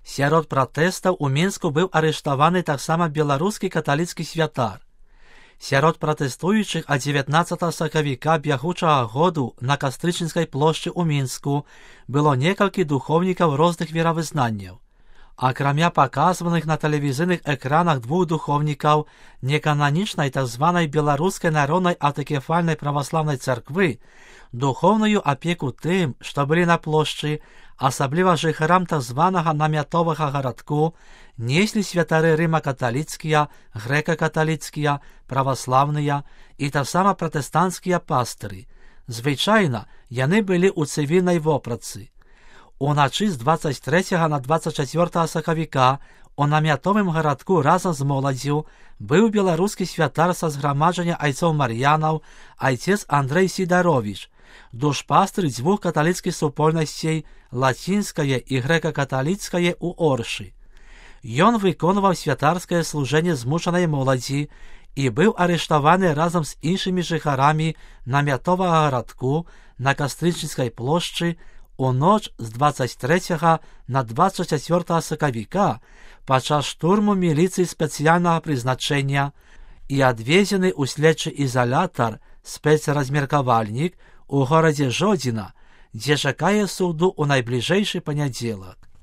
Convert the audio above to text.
Сярод пратэстаў у Мінску быў арыштаваны таксама беларускі каталіцкі святар. Сярод пратэстуючых ад 19 сакавіка бягучага году на Кастрычніцкай плошчы ў Мінску было некалькі духоўнікаў розных веравызнанняў. Акрамя паказваных на тэлевізійных экранах двух духоўнікаў некананічнай так званай беларускай народнай аўтакефальнай праваслаўнай царквы, духоўную апеку тым, што былі на плошчы, асабліва жыхарам так званага намятовага гарадку, неслі святары рыма-каталіцкія, грэка-каталіцкія, праваслаўныя і таксама пратэстанцкія пастыры. Звычайна яны былі ў цывільнай вопратцы. Уначы з 23 на 24 сакавіка у намятовым гарадку разам з моладзю быў беларускі святар са зграмаджання айцоў Мар'янаў, айцец Андрэй Сідаровіч, душпастыр дзвюх каталіцкіх супольнасцей лацінскае і грэка-каталіцкае ў Оршы. Ён выконваў святарскае служэнне змушанай моладзі і быў арыштаваны разам з іншымі жыхарамі намятовага гарадку на Кастрычніцкай плошчы у ноч з 23 на 24 сакавіка падчас штурму міліцыі спецыяльнага прызначэння і адвезены ў следчы ізалятар спецразмеркавальнік у горадзе Жодзіна, дзе чакае суду ў найбліжэйшы панядзелак.